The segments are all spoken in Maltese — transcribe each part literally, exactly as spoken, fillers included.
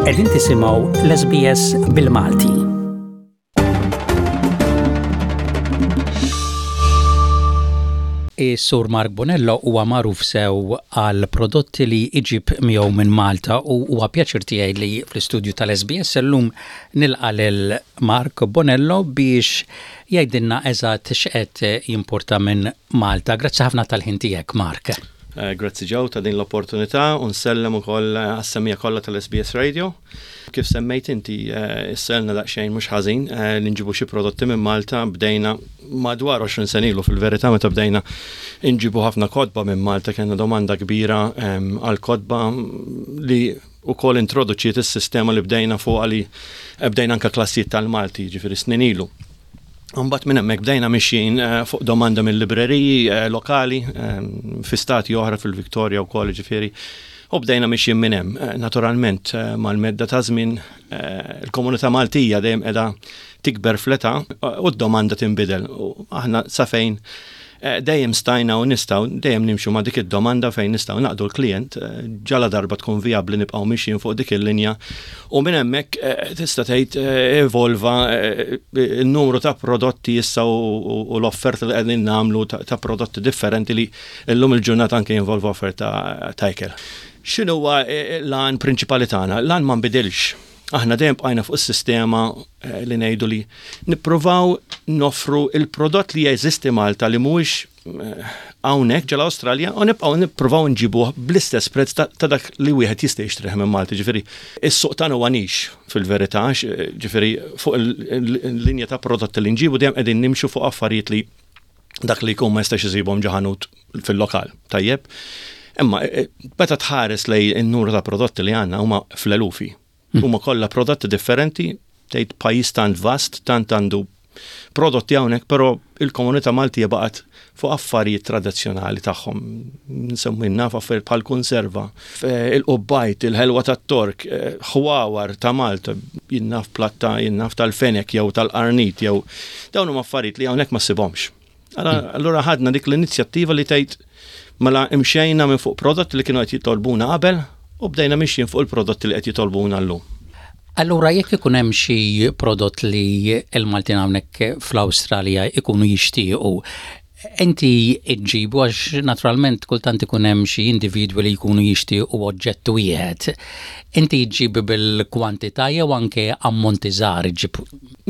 Qegħdin tisimgħu l-S B S bil-Malti. Is-Sur Mark Bonello huwa magħruf sew għal prodotti li iġib miegħu minn Malta u huwa pjaċir tiegħi li fl-istudju tal-S B S illum nilqa' lil Mark Bonello biex jgħidilna eżatt x'qed jimporta minn Malta. Grazzi ħafna tal-ħin tiegħek, Mark. Eh, grazzi Joe ta' din l-opportunità u nsellem ukoll għas-semmiegħa kollha tal-S B S Radio. Kif semmejt inti, eh, ilna daqsxejn mhux ħażin eh, li nġibu xi prodotti minn Malta. Bdejna madwar għoxrin sena ilu fil-verità, meta bdejna nġibu ħafna kotba minn Malta. Kellna domanda kbira għal kotba li ukoll introduċiet is-sistema li bdejna fuq li bdejna anka klassijiet tal-Malti, ġifieri snin ilu. Mbagħad minn hemmhekk bdejna mixjin eh, fuq domanda mill-libreriji eh, lokali eh, fi stati oħra, fil-Victoria wkoll ġifieri. U bdejna mixjin minn hemm. Naturalment, mal-medda ta' żmien il-komunità Maltija dejjem qiegħda tikber fl-età u d-domanda tinbidel. U aħna sa fejn dejjem stajna u nistgħu dejjem nimxu ma' dik id-domanda fejn nistgħu naqdu l-klient, ġala darba tkun viabli nibqgħu mixjin fuq dik il-linja, u minn hemmhekk tista' tgħid evolva il-numru ta' prodotti issa u l-offerta li qegħdin nagħmlu ta' prodotti differenti li llum il-ġurnata anke jinvolvu offerta ta' ikel. X'inhuwa l-għan prinċipali tagħna? L-għan ma nbidilx. Aħna dejjem bqajna fuq is-sistema li ngħidu li nippruvaw noffru il-prodott li jeżisti Malta li mhuwiex hawnhekk ġol-Awstralja u nibqgħu nippruvaw nġibuh bl-istess prezz ta' dak li wieħed jista' jixtrih minn Malta. Ġifieri, is-suq tagħna huwa niche fil-verità, ġifieri fuq il-linja ta' prodotti li nġibu dejjem qegħdin nimxu fuq affarijiet li dak li jkun ma jistax isibhom ġo ħanut fil-lokal. Tajjeb. Imma meta tħares lej in-numru ta' prodotti li għandna, huma fl-elufi. Huma kollha prodotti differenti, tgħid pajjiż tant vast, tant għandu prodotti hawnhekk, però il-komunità Maltija baqgħet fuq affarijiet tradizzjonali tagħhom. Nsemmi naf affarijiet bħal konserva, il-qubbajt, il-ħelwa tat-Tork, ħwawar ta' Malta, jien naf platta, jien naf tal-fenek jew tal-qarnit jew dawn huma affarijiet li hawnhekk ma ssibhomx. Allura ħadna dik l-inizjattiva li tgħid mela imxejna minn fuq prodotti li kienu qed jitolbuna qabel u bdejna mixjin fuq il-prodotti li qed jitolbuna llum. Allura jekk ikun hemm xi prodott li l-Maltin hawnhekk fl-Awstralja ikunu jixtiequ, inti iġġibu, għax naturalment kultant ikun hemm xi individwi li jkunu jixtiequ oġġett wieħed. Inti ġġib bil-kwantità jew anke ammonti żgħar iġġib?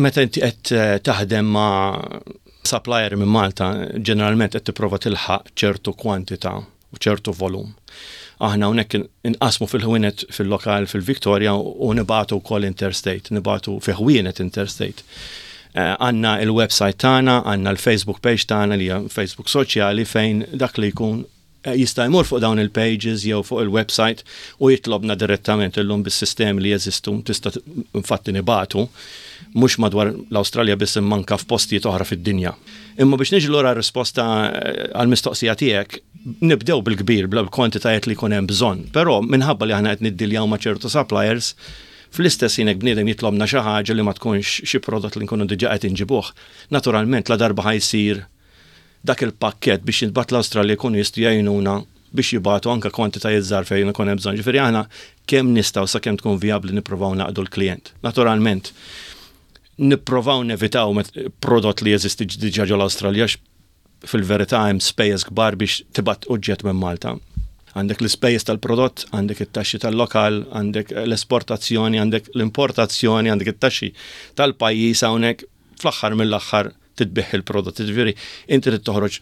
Meta inti qed taħdem ma' supplier minn Malta, ġeneralment qed tipprova tilħaq ċertu kwantità u ċertu volum. Aħna hawnhekk inqasmu fil-ħwienet fil-lokal fil-Victoria u nibagħtu wkoll interstate, nibagħtu fi ħwienet interstate. Għandna il-website tagħna, għandna l-Facebook page tagħna li hija Facebook soċjali, fejn dak li jkun jista' jmur fuq dawn il-pages jew fuq il-website u jitlobna direttament. Illum bis-sistemi li jeżistu tista' infatti nibagħtu mhux madwar l-Awstralja biss imma anka f'postijiet oħra fid-dinja. Imma biex niġi lura risposta għall-mistoqsija tiegħek, nibdew bil-kbir, bl-kwantitajiet li jkun hemm bżonn, però minħabba li aħna qed niddiljaw ma' ċertu suppliers, fl-istess ħin bniedem jitlobna xi ħaġa li ma tkunx xi prodott li nkunu diġà qed inġibuh. Naturalment, la darba ħa jsir dak il-pakket biex jintbagħat l-Awstralja, jkunu jistgħu jgħinuna biex jibagħtu anka kwantitajiet żgħar fejn ikun hemm bżonn. Ġifieri aħna kemm nistgħu, sakemm tkun vijabbli, nippruvaw naqdu l-klient. Naturalment, nipprovaw nevitaw prodott li jeżisti diġà ġol-Awstralja. Fil-verità hemm spejjeż kbar biex tibgħat oġġett minn Malta. Għandek l-ispejjeż tal-prodott, għandek it-taxxi tal-lokal, għandek l-esportazzjoni, għandek l-importazzjoni, għandek it-taxxi tal-pajjiż hawnhekk, fl-aħħar mill-aħħar tbigħ il-prodott. Ġifieri, inti trid toħroġ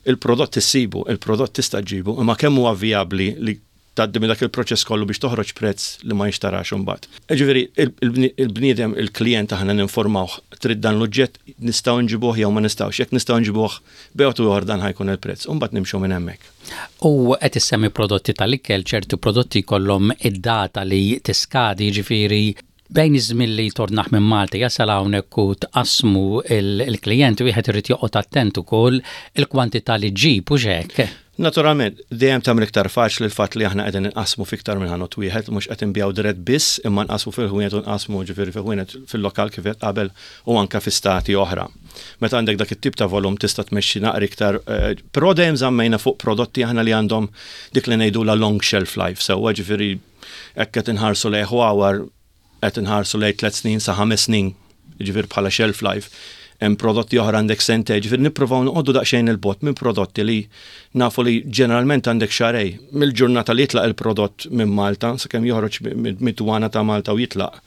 il-prodott, issibu, il-prodott tista' ġġibu, imma kemm huwa vijabbli li tgħaddi minn dak il-proċess kollu biex toħroġ prezz li ma jinxtarax imbagħad? Ġifieri il-bniedem, il-klient, aħna ninformawh: trid dan l-oġġett, nistgħu nġibuh jew ma nistgħux. Jekk nistgħu nġibuh, bejn ieħor dan ħa jkun il-prezz. U mbagħad nimxu minn hemmhekk. U qed issemmi prodotti tal-ikel, ċertu prodotti kollhom id-data li tiskadi, ġifieri bejn iż-żmien li tordnah minn Malta jasal hawnhekk u tqassmu il-klijent, wieħed irid joqgħod attent ukoll il-kwantità li ġġib u hekk. Naturalment, dejjem tagħmel iktar faċli l-fatt li aħna qegħdin inqasmu fiktar minn ħanut wieħed, mhux qed inbigħu dirett biss, imma nqasmu fil-ħwienet u nqasmu, ġifieri fil-ħwienet fil-lokal kif qed qabel u anke fi stati oħra. Meta għandek dak it-tip ta' volum tista' tmexxi naqra iktar, eh, però dejjem żammejna fuq prodotti aħna li għandhom dik li ngħidu la long shelf life, sewwa? Ġifieri hekk qed inħarsu lejn ħwawar qed inħarsu lejn tliet snin sa ħames snin, ġifier bħala shelf life. Hemm prodotti oħra għandek sentejn, ġifier nippruvaw noqogħdu daqsxejn 'il bogħod minn prodotti li nafu li ġeneralment għandek xahrejn mill-ġurnata li jitlaq il-prodott minn Malta sakemm joħroġ mid-dwana ta' Malta u jitlaq.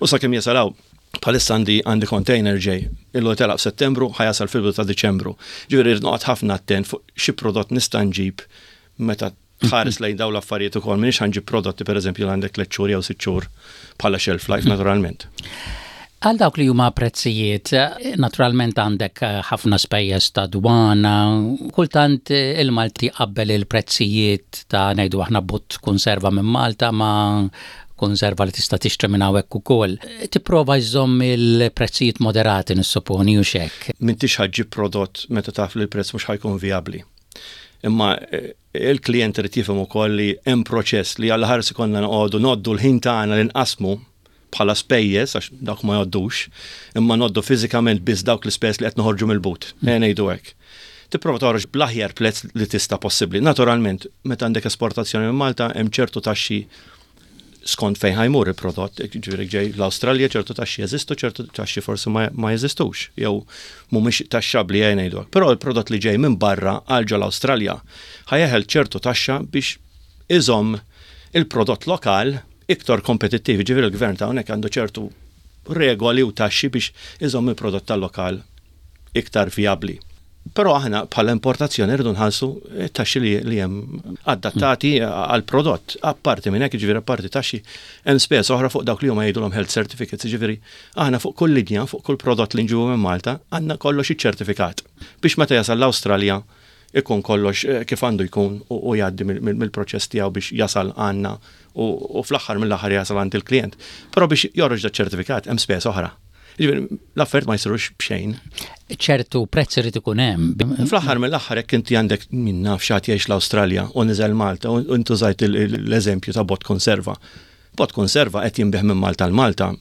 U sakemm jasal hawn. Bħalissa għandi għandi container ġej, illu telaq f'Settembru, ħa jasal fil ta' Diċembru. Ġifieri rrid noqgħod ħafna attent fuq xi prodott nista' nġib meta tħares lejn dawn l-affarijiet ukoll, m'iniex ħa nġib prodotti, pereżempju, li għandek tliet xhur jew sitt xhur bħala shelf life, naturalment. Għal dawk li huma prezzijiet, naturalment għandek ħafna spejjeż ta' dwana, kultant il-Malti qabbel il-prezzijiet ta', ngħidu aħna, bott konserva minn Malta ma' konserva li tista' tixtri minn hawnhekk ukoll. Tipprova jżomm il-prezzijiet moderati, nissoponi, u hekk. M'intix ħa ġġib prodott meta taf li l-prezz mhux ħa jkun vijabbli. Imma eh, il-klient irid jifhem ukoll li hemm proċess li għal ħares ikollna noqogħdu ngħoddu l-ħin tagħna li nqasmu bħala spejjeż, għax dawk ma jgħoddux, imma ngħoddu fiżikament biss dawk l-ispejjeż li qed noħorġu mill-but. Mm. Ngħidu hekk. Tipprova toħroġ bl-aħjar prezz li tista' possibbli. Naturalment, meta għandek esportazzjoni minn Malta, hemm ċertu taxxi skont fejn ħa jmur il-prodott, ġifieri ġej l-Awstralja, ċertu taxxi jeżistu, ċertu taxxi forsi ma, ma jeżistux, jew mhumiex taxxabbli, jgħin ngħidu. Però il-prodott li ġej minn barra għal ġo l-Awstralja ħa jeħel ċertu taxxa biex iżomm il-prodott lokal iktar kompetittiv, ġifieri il-gvern ta' hawnhekk għandu ċertu regoli u taxxi biex iżomm il-prodott tal-lokal iktar viabli. Però aħna bħala importazzjoni rridu nħallsu taxxi li, li hemm adattati għal prodott. Apparti minn hekk, ġifieri apparti taxxi, hemm spejjeż oħra fuq dawk li huma jgħidulhom health certificates, ġifieri aħna fuq kull linja, fuq kull prodott li nġibu minn Malta, għandna kollox iċ-ċertifikat biex meta jasal l-Awstralja ikun kollox eh, kif għandu jkun u jgħaddi mill-proċess tiegħu biex jasal għandna u fl-aħħar mill-aħħar jasal għand il-klient. Però biex joħroġ da ċertifikat hemm spejjeż oħra. Ġifieri l-affarijiet ma jsirux b'xejn. Ċertu prezz irid ikun hemm. Fl-aħħar mill-aħħar, jekk inti għandek, min naf, xi ħadd jgħix l-Awstralja u niżel Malta u intużajt l-eżempju ta' bott konserva. Bott konserva qed jinbiegħ minn Malta l Malta,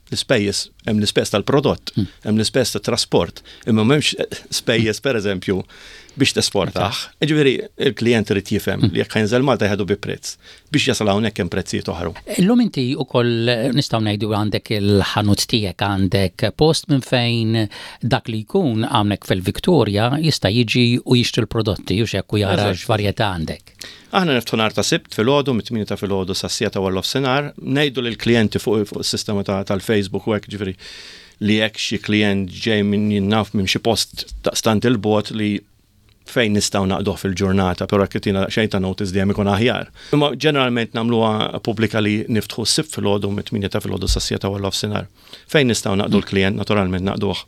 l-ispejjeż, hemm l-ispejjeż tal-prodott, hmm. hemm l-ispejjeż tat-trasport, imma m'hemmx spejjeż, pereżempju, biex tesportah. Ġifieri il-klient irid jifhem li jekk ħa jinżel Malta jieħdu bi prezz. Biex jasal hawnhekk hemm prezzijiet oħra. Illum inti ukoll, nistgħu ngħidu, għandek il-ħanut tiegħek, għandek post minn fejn dak li jkun hawnhekk fil-Victoria jista' jiġi u jixtri l-prodotti u hekk u jara x'varjetà għandek. Aħna niftħu nhar ta' Sibt filgħodu mit-tmienja ta' filgħodu sas-siegħa ta' nofsinhar, ngħidu lill-klijenti fuq is-sistema tal-Facebook u hekk, ġifieri li jekk xi klient ġej minn, naf, minn xi post daqstant 'il bogħod, li fejn nistgħu naqduh fil-ġurnata, però jekk ttina xejn ta' notice dejjem ikun aħjar. Imma ġeneralment nagħmluha pubblika li niftħu s-Sibt filgħodu mit-tmienja ta' filgħodu sas-siegħa ta' nofsinhar. Fejn nistgħu naqdu l-klient, naturalment naqduh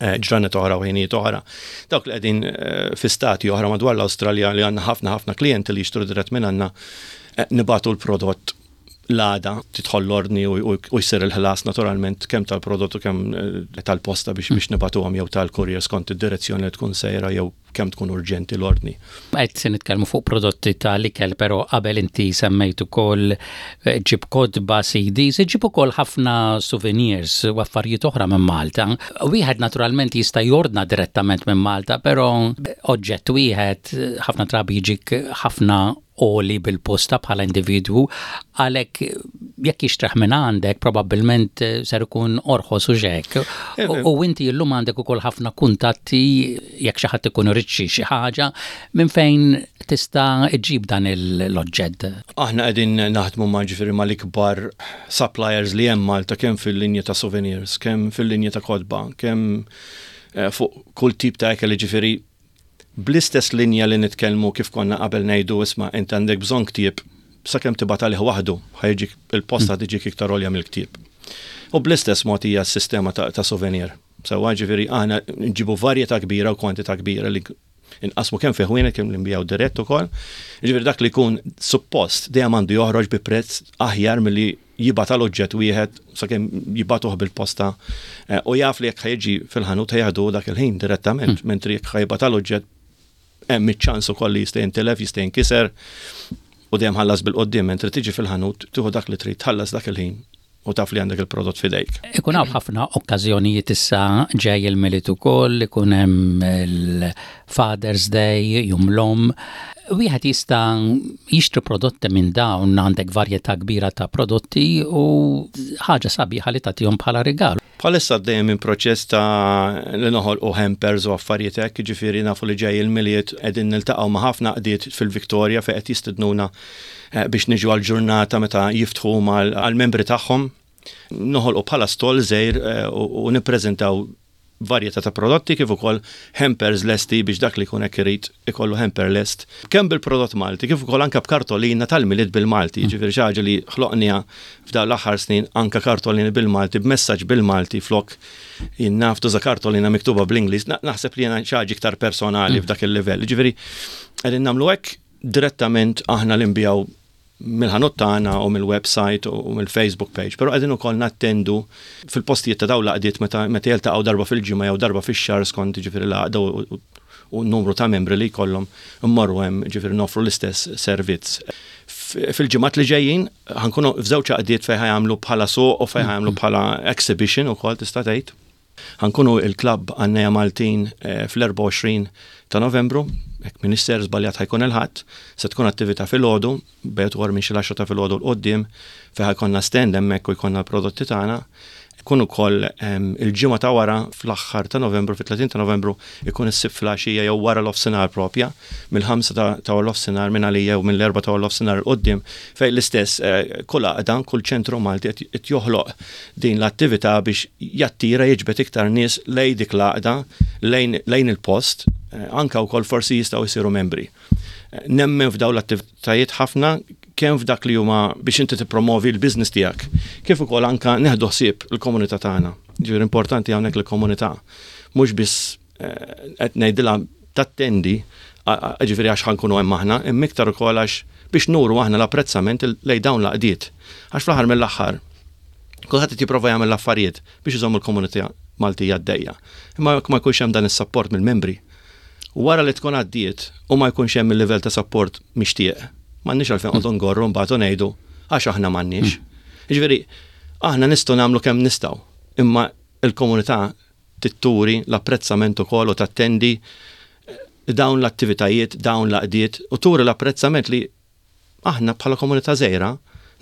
eh, ġranet oħra u ħinijiet oħra. Dawk li qegħdin eh, fi stati oħra madwar l-Awstralja, li għandna ħafna ħafna klijenti li jixtru dirett minn għandna, eh, nibagħtu l-prodott l-għada, tidħol l-ordni u jsir il-ħlas, naturalment, kemm tal-prodott u kemm tal-posta biex biex nibagħtuhom jew tal-courier skont id-direzzjoni li tkun sejra jew kemm tkun urġenti l-ordni. Qed se nitkellmu fuq prodotti tal-ikel, però qabel inti semmejt ukoll ġib kotba, C Ds, ġib ukoll ħafna souvenirs u affarijiet oħra minn Malta. Wieħed naturalment jista' jordna direttament minn Malta, però oġġett wieħed ħafna drabi jiġik ħafna għoli bil-posta bħala individwu, għalhekk jekk jixtrih minn għandek probabbilment ser ikun orħos u hekk. U inti llum għandek ukoll ħafna kuntatti jekk xi ħadd ikun irid xi ħaġa, minn fejn tista' iġib dan l-oġġett. Aħna qegħdin naħdmu ma' ġifieri mal-ikbar suppliers li hemm Malta, kemm fil-linja ta' souvenirs, kemm fil-linja ta' kotba, kemm eh, fuq kull tip ta' ikel. Ġifieri bl-istess linja li nitkellmu kif konna qabel ngħidu, isma', int għandek bżonn ktieb, sakemm tibgħat għalih waħdu, ħa jiġik il-posta, tiġik iktar għolja mill-ktieb. U bl-istess mod hija s-sistema ta', ta souvenir. Sewwa, ġifieri aħna nġibu varjetà kbira u kwantità kbira li inqasmu kemm fi ħwienet, kemm li nbigħu dirett ukoll. Ġifieri dak li jkun suppost dejjem għandu joħroġ bi prezz aħjar milli jibgħat għal oġġett wieħed sakemm jibagħtuh bil-posta eh, u jaf li jekk ħa jiġi fil-ħanut ħa jieħdu dak il-ħin direttament, hmm. mentri jekk ħa jibgħat għal oġġett hemm iċ-ċans ukoll li jista' jintilef, jista' jinkiser u dejjem ħallas bil-qoddim, mentri tiġi fil-ħanut, tieħu dak li trid, tħallas dak il-ħin u taf li għandek il-prodott fidejk. Ikun hawn ħafna okkażjonijiet, issa ġej il-Milied ukoll, ikun hemm il-Father's Day, Jum l-Omm. Wieħed jista' jixtri prodotti minn dawn, għandek varjetà kbira ta' prodotti u ħaġa sabiħa li tagħtihom bħala rigal. Bħalissa għaddejjem minn proċess ta' li noħolqu hampers u affarijiet hekk, ġifieri nafu li ġej il-Milied, qegħdin niltaqgħu ma' ħafna għaqdiet fil-Viktoria fejn qed jistednuna eh, biex niġu għal-ġurnata meta jiftħu għal-membri tagħhom. Noħolqu bħala stall żgħir eh, u nippreżentaw varjetà ta' prodotti kif ukoll hampers lesti biex dak li jkun hekk irid ikollu hamper lest. Kemm bil-prodott Malti kif ukoll anke b'kartolina tal-Milied bil-Malti, mm. ġifieri xi ħaġa li ħloqniha f'dawn l-aħħar snin, anke kartolini bil-Malti, b'messaġġ bil-Malti flok jien naf tuża kartolina miktuba bl-Ingliż, naħseb li jiena xi ħaġa iktar personali mm. f'dak il-livell. Ġifieri qegħdin nagħmlu hekk direttament aħna li nbigħu mill-ħanut tagħna u mill-website u mill-Facebook page, però qegħdin ukoll nattendu fil-postijiet ta' dawn l-għaqdiet meta meta jiltaqgħu darba fil-ġimgħa jew darba fix-xahar skont ġifieri l-għaqda u n-numru ta' membri li jkollhom, immorru hemm, ġifieri nofru l-istess servizz. Fil-ġimgħat li ġejjin ħa nkunu f'żewġ għaqdiet fejn ħa jagħmlu bħala suq u fejn ħa jagħmlu bħala exhibition ukoll tista' tgħid. Ħa nkunu il-klabb Għannejja Maltin eh, fl-erbgħa u għoxrin ta' Novembru, jekk m'iniex żbaljat ħa jkun il-Ħadd, se tkun attività filgħodu, bejt minn xi l-għaxra ta' filgħodu 'l quddiem fejn ħa jkollna stand hemmhekk u jkollna l-prodotti tagħna. Ikun ukoll il-ġimgħa ta' wara fl-aħħar ta' Novembru, fit-tletin ta' Novembru, ikun is-Sibt filgħaxija jew wara l-offsinar propja, mill-ħamsa ta' l-offsinar minn għalija jew mill-erbgħa ta' l-offsinar 'l quddiem, fejn l-istess eh, kull għaqda, kull ċentru Malti qed joħloq din l-attività biex jattira, jiġbed iktar nies lejn dik l-għaqda, lejn il-post, eh, anka wkoll forsi jistgħu jsiru membri. Eh, nemmen f'dawn l-attivitajiet ħafna, kemm f'dak li huma biex inti tippromovi l-business tiegħek, kif ukoll anka neħdu ħsieb il-komunità tagħna. Ġifieri importanti hawnhekk il-komunità mhux biss eh, qed ngħidilha tattendi ġifieri għax ħa nkunu hemm aħna, imma iktar ukoll għax biex nuru aħna l-apprezzament lejn dawn l-għaqdiet. Għax fl-aħħar mill-aħħar kulħadd qed jipprova jagħmel l-affarijiet biex iżomm il-komunità Maltija għaddejja. Imma jekk ma jkunx hemm dan is-support mill-membri, wara li tkun għaddiet u ma jkunx hemm il-livell ta' support mixtieq, m'għandniex għalfejn qogħdu ngorru mbagħad u ngħidu għax aħna m'għandniex. Jiġifieri aħna nistgħu nagħmlu kemm nistgħu, imma il-komunità trid turi l-apprezzament ukoll u tattendi eh, dawn l-attivitajiet, dawn l-għaqdiet u turi l-apprezzament li aħna bħala komunità żgħira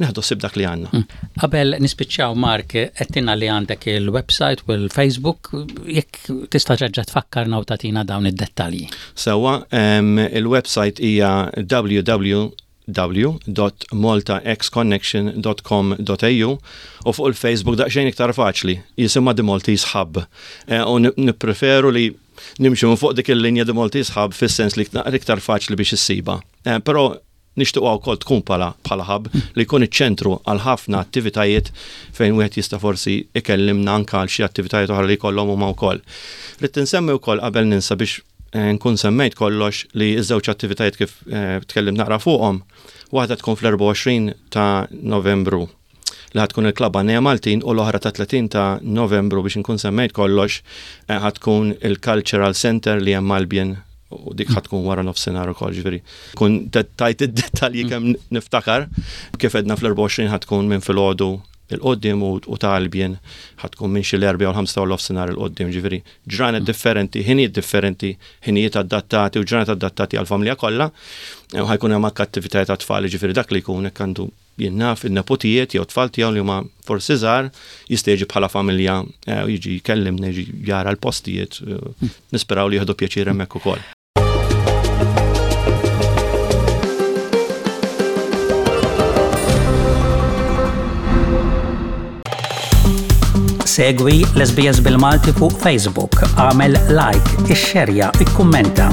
neħdu ħsieb dak li għandna. Mm. Qabel nispiċċaw, Mark, għedtilna li għandek il-website u l-Facebook, jekk tista' terġa' tfakkarna u tagħtina dawn id-dettalji. Sewwa, il-website hija w w w dot maltaxconnection dot com dot a u u fuq il-Facebook daqsxejn iktar faċli, jisimha The Maltese Hub. Eh, u nippreferu li nimxu minn fuq dik il-linja The Maltese Hub fis-sens li iktar faċli biex issiba. Eh, però nixtiequ wkoll tkun bħala bħala hub li jkun iċ-ċentru għal ħafna attivitajiet fejn wieħed jista' forsi ikellimna anke għal xi attivitajiet oħra li jkollhom huma wkoll. Rrid insemmi wkoll qabel ninsa biex eh, nkun semmejt kollox li ż-żewġ attivitajiet kif eh, tkellim naqra fuqhom, waħda tkun fl-erbgħa u għoxrin ta' Novembru li ħa tkun il-Klabb Għannejja Maltin u l-oħra ta' tletin ta' Novembru, biex nkun semmejt kollox, eh, ħa tkun il-Cultural Center li hemm Albion u dik ħa tkun wara nofsinhar ukoll, ġifieri. Kun tajt id-dettalji kemm niftakar, kif għedna fl-erbgħa u għoxrin ħa tkun minn filgħodu 'l quddiem u ta' Albion ħa tkun minn xi l-erbgħa u l-ħamsa u nofsinhar 'l quddiem, ġifieri ġranet differenti, ħinijiet differenti, ħinijiet adattati u ġranet adattati għal-familja kollha. Ħa jkun hemm anke attivitajiet għat-tfal, ġifieri dak li jkun hekk għandu jien naf il-nepotijiet jew tfal tiegħu li huma forsi żgħar jista' jiġi bħala familja eh, u jiġi jkellimna, jiġi jara l-postijiet, eh, nisperaw li jieħdu pjaċir hemmhekk ukoll. Segwi l-S B S bil-Malti fuq Facebook, għamel like, ixxerja, ikkummenta.